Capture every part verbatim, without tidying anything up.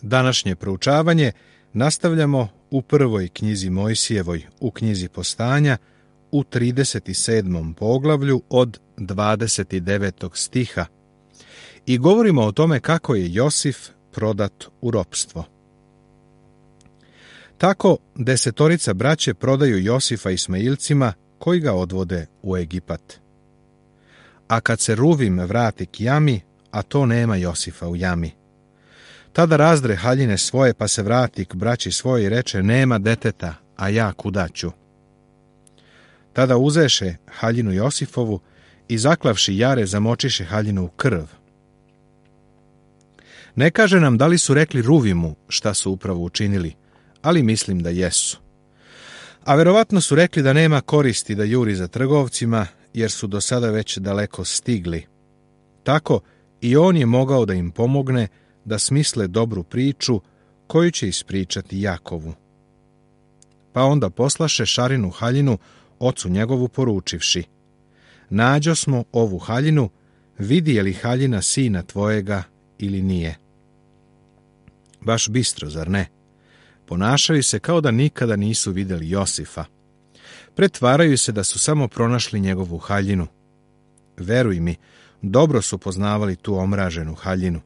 Današnje proučavanje nastavljamo u prvoj knjizi Mojsijevoj, u knjizi Postanja, u trideset sedmom poglavlju od dvadeset devetog stiha i govorimo o tome kako je Josif prodat u ropstvo. Tako desetorica braće prodaju Josifa Ismailcima koji ga odvode u Egipat. A kad se Ruvim vrati k jami, a to nema Josifa u jami, tada razdre haljine svoje pa se vrati k braći svoje i reče: nema deteta, a ja kuda ću? Tada uzeše haljinu Josifovu i zaklavši jare zamočiše haljinu u krv. Ne kaže nam da li su rekli Ruvimu šta su upravo učinili, ali mislim da jesu. A verovatno su rekli da nema koristi da juri za trgovcima, jer su do sada već daleko stigli. Tako i on je mogao da im pomogne da smisle dobru priču koju će ispričati Jakovu. Pa onda poslaše Šarinu haljinu ocu njegovu poručivši: nađo smo ovu haljinu, vidi je li haljina sina tvojega ili nije. Baš bistro, zar ne? Ponašaju se kao da nikada nisu vidjeli Josifa. Pretvaraju se da su samo pronašli njegovu haljinu. Veruj mi, dobro su poznavali tu omraženu haljinu.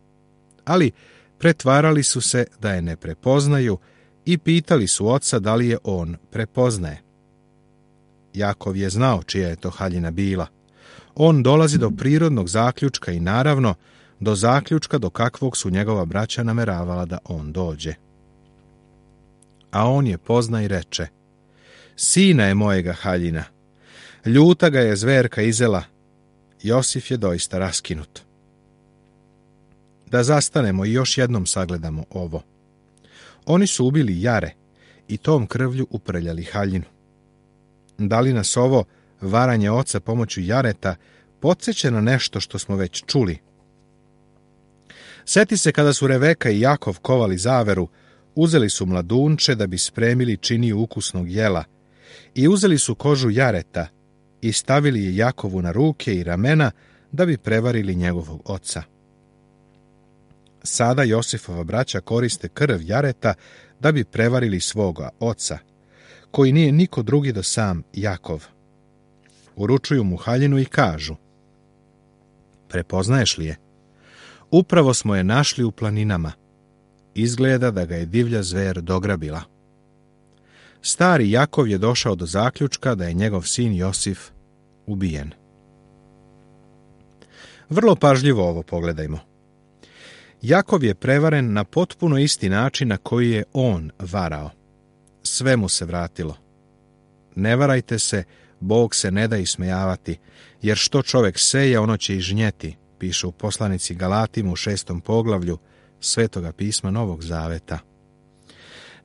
Ali pretvarali su se da je ne prepoznaju i pitali su oca da li je on prepoznaje. Jakov je znao čija je to haljina bila. On dolazi do prirodnog zaključka i naravno do zaključka do kakvog su njegova braća nameravala da on dođe. A on je pozna i reče: sina je mojega haljina, ljuta ga je zverka izela. Josif je doista raskinut. Da zastanemo i još jednom sagledamo ovo. Oni su ubili jare i tom krvlju uprljali haljinu. Da li nas ovo varanje oca pomoću jareta podsjeća na nešto što smo već čuli? Seti se kada su Reveka i Jakov kovali zaveru, uzeli su mladunče da bi spremili činiju ukusnog jela i uzeli su kožu jareta i stavili je Jakovu na ruke i ramena da bi prevarili njegovog oca. Sada Josifova braća koriste krv jareta da bi prevarili svoga oca, koji nije niko drugi do sam Jakov. Uručuju mu haljinu i kažu: prepoznaješ li je? Upravo smo je našli u planinama. Izgleda da ga je divlja zver dograbila. Stari Jakov je došao do zaključka da je njegov sin Josif ubijen. Vrlo pažljivo ovo pogledajmo. Jakov je prevaren na potpuno isti način na koji je on varao. Sve mu se vratilo. Ne varajte se, Bog se ne da ismejavati, jer što čovjek seje, ono će i žnjeti, piše u poslanici Galatima u šestom poglavlju Svetoga pisma Novog Zaveta.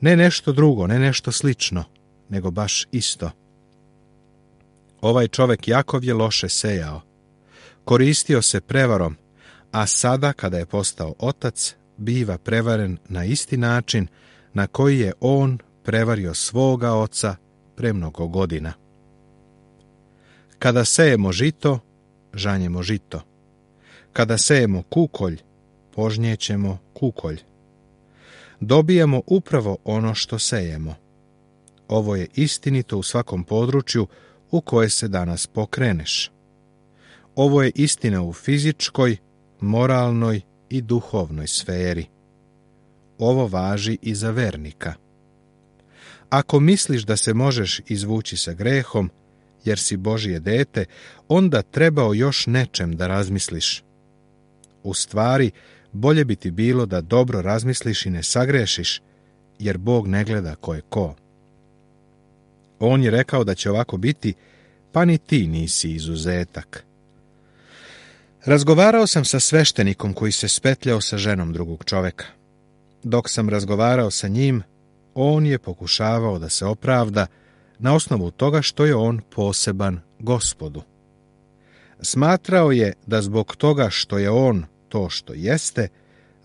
Ne nešto drugo, ne nešto slično, nego baš isto. Ovaj čovjek Jakov je loše sejao. Koristio se prevarom, a sada, kada je postao otac, biva prevaren na isti način na koji je on prevario svoga oca pre mnogo godina. Kada sejemo žito, žanjemo žito. Kada sejemo kukolj, požnjećemo kukolj. Dobijemo upravo ono što sejemo. Ovo je istinito u svakom području u koje se danas pokreneš. Ovo je istina u fizičkoj, moralnoj i duhovnoj sferi. Ovo važi i za vernika. Ako misliš da se možeš izvući sa grehom, jer si Božje dete, onda treba o još nečem da razmisliš. U stvari, bolje bi ti bilo da dobro razmisliš i ne sagrešiš, jer Bog ne gleda ko je ko. On je rekao da će ovako biti, pa ni ti nisi izuzetak. Razgovarao sam sa sveštenikom koji se spetljao sa ženom drugog čoveka. Dok sam razgovarao sa njim, on je pokušavao da se opravda na osnovu toga što je on poseban Gospodu. Smatrao je da zbog toga što je on to što jeste,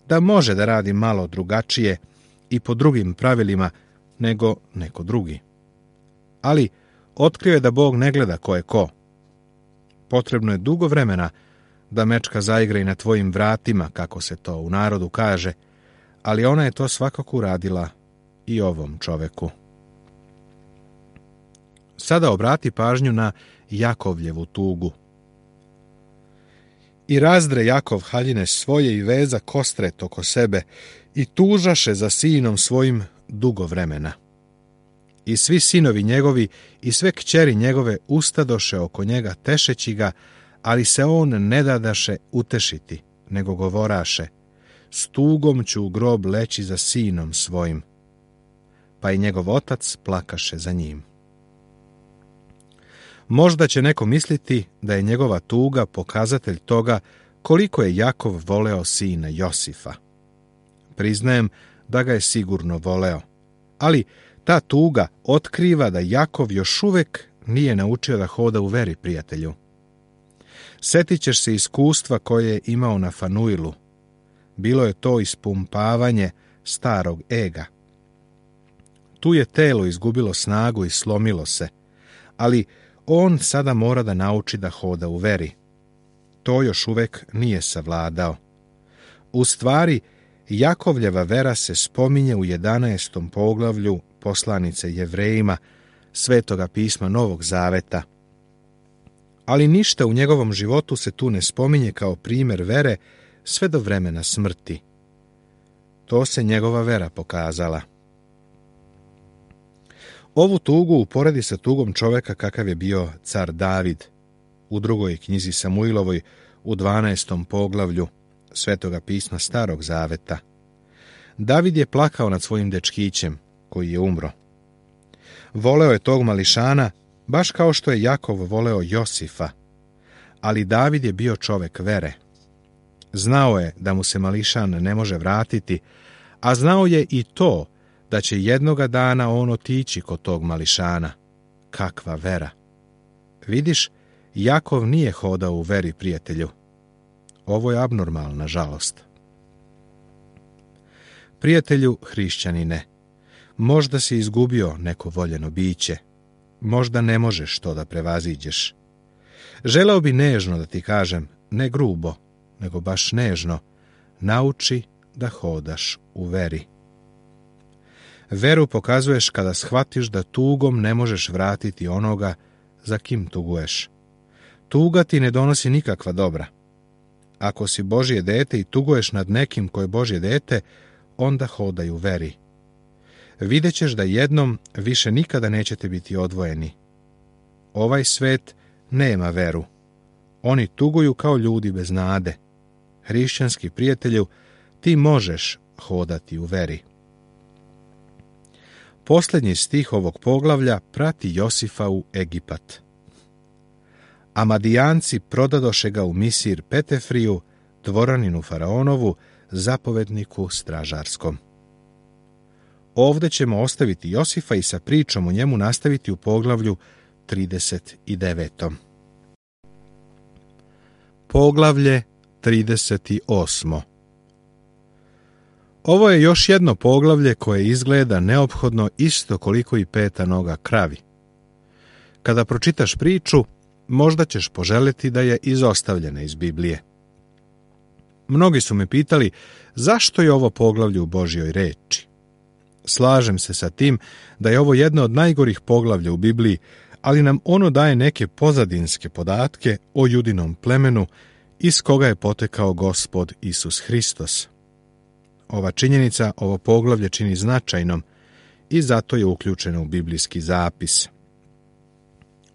da može da radi malo drugačije i po drugim pravilima nego neko drugi. Ali otkrio je da Bog ne gleda ko je ko. Potrebno je dugo vremena da mečka zaigra i na tvojim vratima, kako se to u narodu kaže, ali ona je to svakako uradila i ovom čoveku. Sada obrati pažnju na Jakovljevu tugu. I razdre Jakov haljine svoje i veza kostret oko sebe i tužaše za sinom svojim dugo vremena. I svi sinovi njegovi i sve kćeri njegove ustadoše oko njega tešeći ga, ali se on ne dadaše utešiti, nego govoraše: s tugom ću u grob leći za sinom svojim. Pa i njegov otac plakaše za njim. Možda će neko misliti da je njegova tuga pokazatelj toga koliko je Jakov voleo sina Josifa. Priznajem da ga je sigurno voleo, ali ta tuga otkriva da Jakov još uvek nije naučio da hoda u veri, prijatelju. Setit ćeš se iskustva koje je imao na Fanuilu. Bilo je to ispumpavanje starog ega. Tu je telo izgubilo snagu i slomilo se, ali on sada mora da nauči da hoda u veri. To još uvek nije savladao. U stvari, Jakovljeva vera se spominje u jedanaestom poglavlju poslanice Jevrejima, Svetoga pisma Novog Zaveta. Ali ništa u njegovom životu se tu ne spominje kao primjer vere sve do vremena smrti. To se njegova vera pokazala. Ovu tugu uporedi sa tugom čoveka kakav je bio car David u drugoj knjizi Samuilovoj u dvanaestom poglavlju Svetoga pisma Starog Zaveta. David je plakao nad svojim dečkićem koji je umro. Voleo je tog mališana baš kao što je Jakov voleo Josifa, ali David je bio čovek vere. Znao je da mu se mališan ne može vratiti, a znao je i to da će jednoga dana on otići kod tog mališana. Kakva vera! Vidiš, Jakov nije hodao u veri, prijatelju. Ovo je abnormalna žalost. Prijatelju hrišćanine, možda si izgubio neko voljeno biće, možda ne možeš to da prevaziđeš. Želeo bi nežno da ti kažem, ne grubo, nego baš nežno, nauči da hodaš u veri. Veru pokazuješ kada shvatiš da tugom ne možeš vratiti onoga za kim tuguješ. Tuga ti ne donosi nikakva dobra. Ako si Božje dete i tuguješ nad nekim ko je Božje dete, onda hodaj u veri. Vidjet ćeš da jednom više nikada nećete biti odvojeni. Ovaj svet nema veru. Oni tuguju kao ljudi bez nade. Hrišćanski prijatelju, ti možeš hodati u veri. Posljednji stih ovog poglavlja prati Josifa u Egipat. A Madijanci prodadoše ga u Misir Petefriju, dvoraninu faraonovu, zapovedniku stražarskom. Ovde ćemo ostaviti Josifa i sa pričom o njemu nastaviti u poglavlju trideset devet. Poglavlje trideset osam. Ovo je još jedno poglavlje koje izgleda neophodno isto koliko i peta noga kravi. Kada pročitaš priču, možda ćeš poželiti da je izostavljena iz Biblije. Mnogi su me pitali zašto je ovo poglavlje u Božjoj reči. Slažem se sa tim da je ovo jedno od najgorih poglavlja u Bibliji, ali nam ono daje neke pozadinske podatke o judinom plemenu iz koga je potekao Gospod Isus Hristos. Ova činjenica ovo poglavlje čini značajnom i zato je uključeno u biblijski zapis.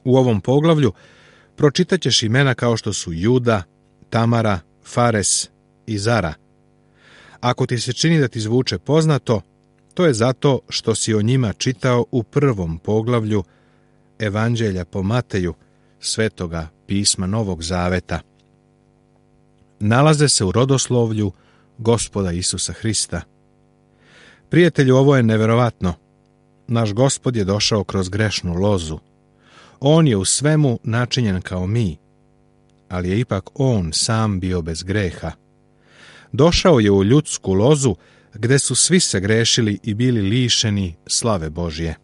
U ovom poglavlju pročitat ćeš imena kao što su Juda, Tamara, Fares i Zara. Ako ti se čini da ti zvuče poznato, to je zato što si o njima čitao u prvom poglavlju Evanđelja po Mateju, Svetoga pisma Novog Zaveta. Nalaze se u rodoslovlju Gospoda Isusa Hrista. Prijatelju, ovo je neverovatno. Naš Gospod je došao kroz grešnu lozu. On je u svemu načinjen kao mi, ali je ipak on sam bio bez greha. Došao je u ljudsku lozu gde su svi se grešili i bili lišeni slave Božje.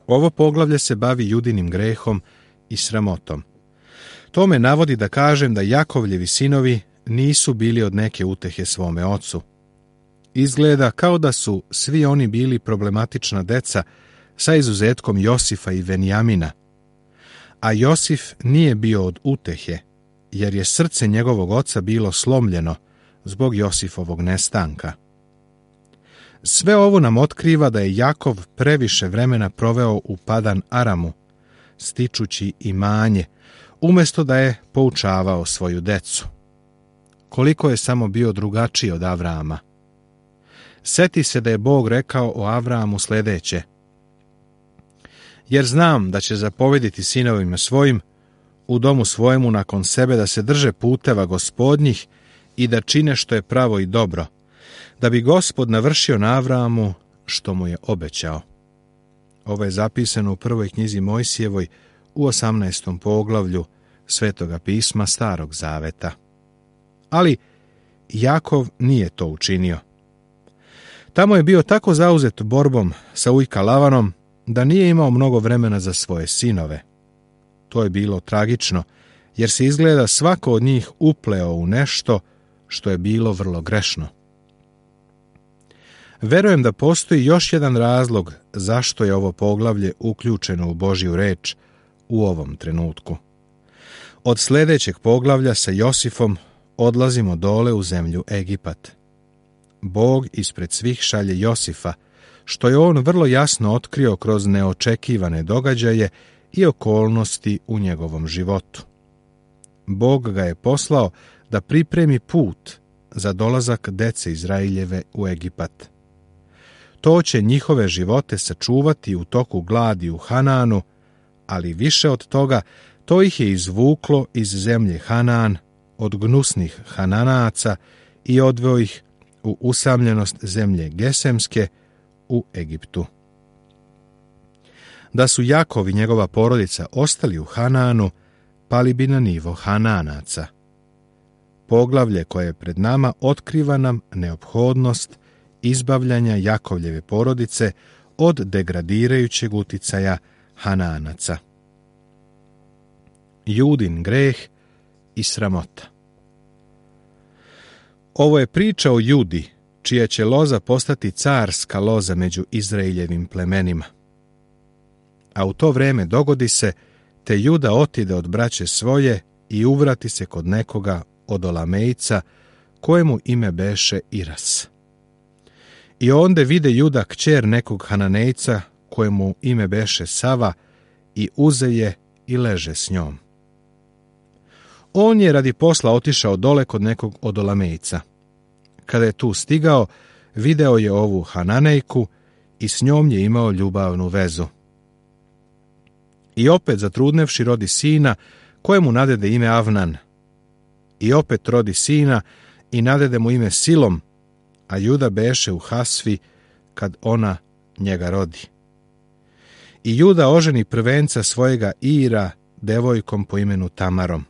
Ovo poglavlje se bavi judinim grehom i sramotom. To me navodi da kažem da Jakovljevi sinovi nisu bili od neke utehe svome ocu, Izgleda kao da su svi oni bili problematična deca, sa izuzetkom Josifa i Venjamina. A Josif nije bio od utehe, jer je srce njegovog oca bilo slomljeno zbog Josifovog nestanka. Sve ovo nam otkriva da je Jakov previše vremena proveo u Padan Aramu, stičući imanje, umjesto da je poučavao svoju decu. Koliko je samo bio drugačiji od Avrama. Seti se da je Bog rekao o Avramu sljedeće: jer znam da će zapovediti sinovima svojim u domu svojemu nakon sebe da se drže puteva Gospodnjih i da čine što je pravo i dobro, da bi Gospod navršio na Avramu što mu je obećao. Ovo je zapisano u prvoj knjizi Mojsijevoj u osamnaestom poglavlju Svetoga pisma Starog zaveta. Ali Jakov nije to učinio. Tamo je bio tako zauzet borbom sa ujka Lavanom da nije imao mnogo vremena za svoje sinove. To je bilo tragično, jer se izgleda svako od njih upleo u nešto što je bilo vrlo grešno. Verujem da postoji još jedan razlog zašto je ovo poglavlje uključeno u Božju reč u ovom trenutku. Od sljedećeg poglavlja sa Josifom odlazimo dole u zemlju Egipat. Bog ispred svih šalje Josifa, što je on vrlo jasno otkrio kroz neočekivane događaje i okolnosti u njegovom životu. Bog ga je poslao da pripremi put za dolazak dece Izraeljeve u Egipat. To će njihove živote sačuvati u toku gladi u Hananu, ali više od toga, to ih je izvuklo iz zemlje Hanan, od gnusnih Hananaca i odveo ih u usamljenost zemlje Gesemske u Egiptu. Da su Jakov i njegova porodica ostali u Hananu, pali bi na nivo Hananaca. Poglavlje koje je pred nama otkriva nam neophodnost izbavljanja Jakovljeve porodice od degradirajućeg uticaja Hananaca. Judin greh i sramota. Ovo je priča o Judi, čija će loza postati carska loza među Izraeljevim plemenima. A u to vreme dogodi se, te Juda otide od braće svoje i uvrati se kod nekoga od Olamejca, kojemu ime beše Iras. I onda vide Juda kćer nekog Hananejca, kojemu ime beše Sava, i uze je i leže s njom. On je radi posla otišao dole kod nekog od Olamejca. Kada je tu stigao, video je ovu Hananejku i s njom je imao ljubavnu vezu. I opet zatrudnevši rodi sina, kojemu nadede ime Avnan. I opet rodi sina i nadede mu ime Silom, a Juda beše u Hasvi kad ona njega rodi. I Juda oženi prvenca svojega Ira devojkom po imenu Tamarom.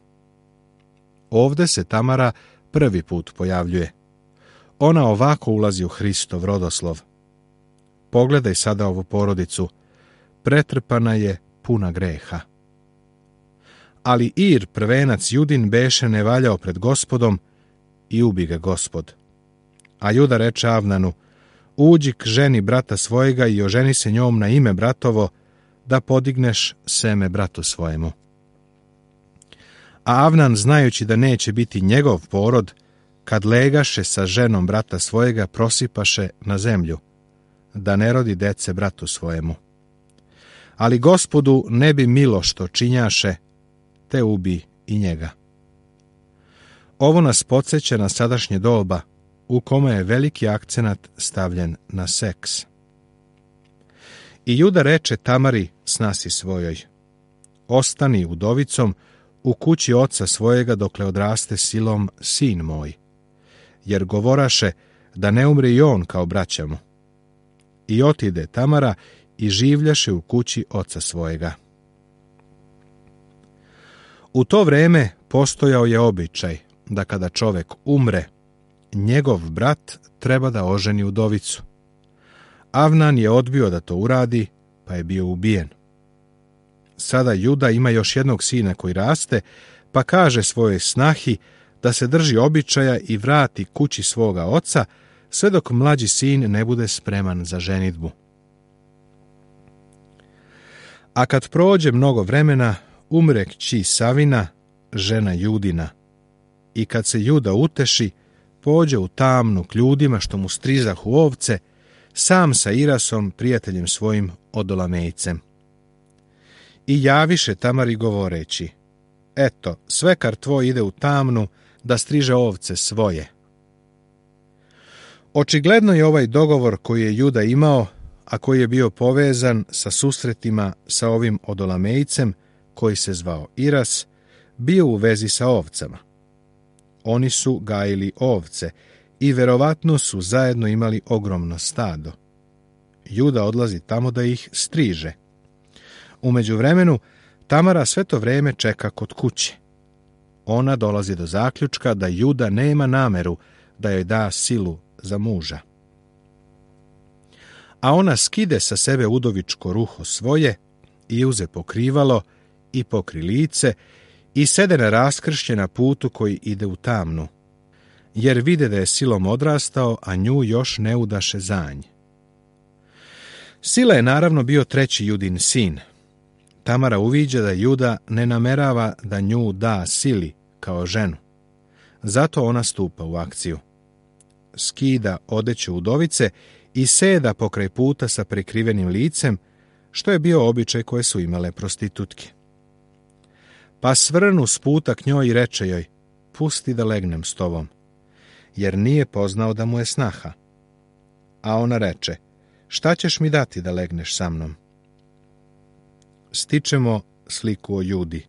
Ovde se Tamara prvi put pojavljuje. Ona ovako ulazi u Hristov rodoslov. Pogledaj sada ovu porodicu. Pretrpana je, puna greha. Ali Ir, prvenac Judin, beše ne valjao pred Gospodom i ubi ga Gospod. A Juda reče Avnanu: uđi k ženi brata svojega i oženi se njom na ime bratovo, da podigneš seme bratu svojemu. A Avnan, znajući da neće biti njegov porod, kad legaše sa ženom brata svojega, prosipaše na zemlju, da ne rodi dece bratu svojemu. Ali Gospodu ne bi milo što činjaše, te ubi i njega. Ovo nas podsjeća na sadašnje doba, u kome je veliki akcenat stavljen na seks. I Juda reče Tamari, snasi svojoj: ostani udovicom u kući oca svojega dokle odraste Silom sin moj, jer govoraše da ne umre i on kao braća mu. I otide Tamara i življaše u kući oca svojega. U to vreme postojao je običaj da kada čovek umre, njegov brat treba da oženi udovicu. Avnan je odbio da to uradi, pa je bio ubijen. Sada Juda ima još jednog sina koji raste, pa kaže svojoj snahi da se drži običaja i vrati kući svoga oca, sve dok mlađi sin ne bude spreman za ženidbu. A kad prođe mnogo vremena, umre kći Savina, žena Judina. I kad se Juda uteši, pođe u tamnu k ljudima što mu strizahu ovce, sam sa Irasom, prijateljem svojim Odolamejcem. I javiše Tamari govoreći: eto, svekar tvoj ide u tamnu da striže ovce svoje. Očigledno je ovaj dogovor koji je Juda imao, a koji je bio povezan sa susretima sa ovim Odolamejcem, koji se zvao Iras, bio u vezi sa ovcama. Oni su gajili ovce i verovatno su zajedno imali ogromno stado. Juda odlazi tamo da ih striže. U međuvremenu, Tamara sve to vreme čeka kod kuće. Ona dolazi do zaključka da Juda nema nameru da joj da silu za muža. A ona skide sa sebe udovičko ruho svoje i uze pokrivalo i pokri lice i sede na raskršće na putu koji ide u tamnu, jer vide da je silom odrastao, a nju još ne udaše zanj. Sila je naravno bio treći Judin sin. Tamara uviđa da Juda ne namerava da nju da sili kao ženu. Zato ona stupa u akciju. Skida odeću udovice i seda pokraj puta sa prekrivenim licem, što je bio običaj koje su imale prostitutke. Pa svrnu s puta k njoj i reče joj: pusti da legnem s tobom, jer nije poznao da mu je snaha. A ona reče: šta ćeš mi dati da legneš sa mnom? Stičemo sliku o Judi.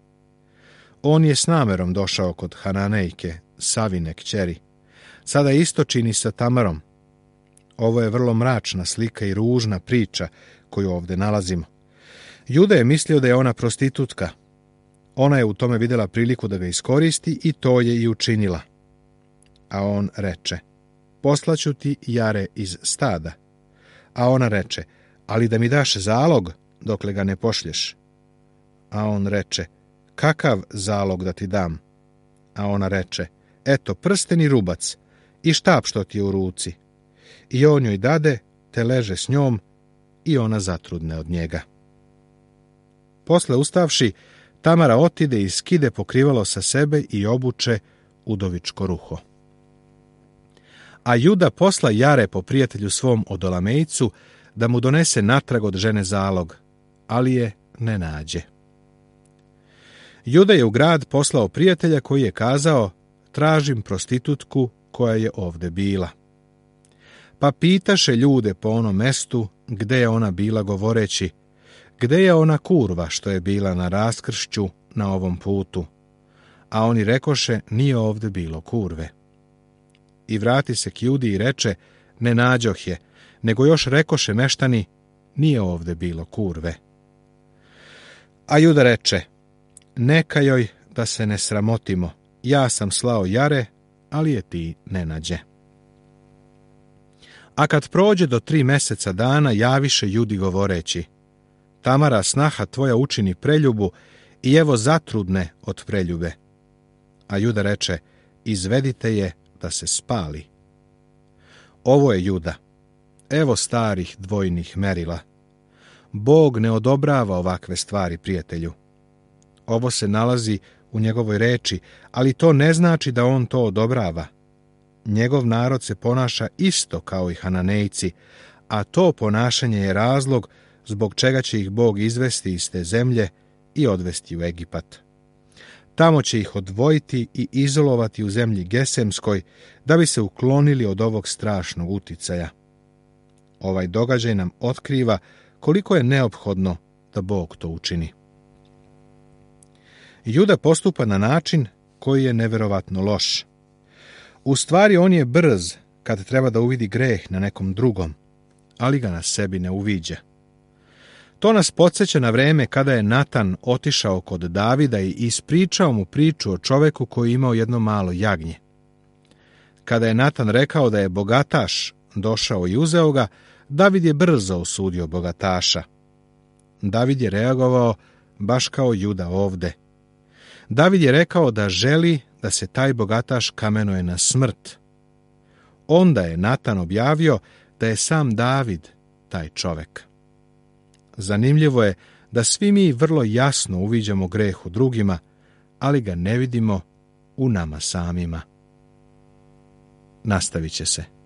On je s namerom došao kod Hananejke, Savine kćeri. Sada isto čini sa Tamarom. Ovo je vrlo mračna slika i ružna priča koju ovdje nalazimo. Juda je mislio da je ona prostitutka. Ona je u tome vidjela priliku da ga iskoristi i to je i učinila. A on reče: poslaću ti jare iz stada. A ona reče: ali da mi daš zalog dokle ga ne pošlješ. A on reče: kakav zalog da ti dam? A ona reče: eto, prsten i rubac i štap što ti je u ruci. I on joj dade, te leže s njom i ona zatrudne od njega. Posle ustavši, Tamara otide i skide pokrivalo sa sebe i obuče udovičko ruho. A Juda posla jare po prijatelju svom Odolamejcu da mu donese natrag od žene zalog, ali je ne nađe. Juda je u grad poslao prijatelja koji je kazao: tražim prostitutku koja je ovde bila. Pa pitaše ljude po onom mestu gde je ona bila, govoreći: gde je ona kurva što je bila na raskršću na ovom putu? A oni rekoše: nije ovde bilo kurve. I vrati se k Judi i reče: ne nađoh je, nego još rekoše meštani: nije ovde bilo kurve. A Juda reče: neka joj da se ne sramotimo, ja sam slao jare, ali je ti ne nađe. A kad prođe do tri meseca dana, javiše Judi govoreći: Tamara, snaha tvoja učini preljubu i evo zatrudne od preljube. A Juda reče: izvedite je da se spali. Ovo je Juda. Evo starih dvojnih merila. Bog ne odobrava ovakve stvari, prijatelju. Ovo se nalazi u njegovoj reči, ali to ne znači da on to odobrava. Njegov narod se ponaša isto kao i Hananejci, a to ponašanje je razlog zbog čega će ih Bog izvesti iz te zemlje i odvesti u Egipat. Tamo će ih odvojiti i izolovati u zemlji Gesemskoj, da bi se uklonili od ovog strašnog uticaja. Ovaj događaj nam otkriva koliko je neophodno da Bog to učini. Juda postupa na način koji je neverovatno loš. U stvari on je brz kad treba da uvidi greh na nekom drugom, ali ga na sebi ne uviđa. To nas podsjeća na vreme kada je Natan otišao kod Davida i ispričao mu priču o čoveku koji je imao jedno malo jagnje. Kada je Natan rekao da je bogataš došao i uzeo ga, David je brzo osudio bogataša. David je reagovao baš kao Juda ovde. David je rekao da želi da se taj bogataš kamenuje na smrt. onda je Natan objavio da je sam David taj čovek. Zanimljivo je da svi mi vrlo jasno uviđamo greh u drugima, ali ga ne vidimo u nama samima. Nastavit će se.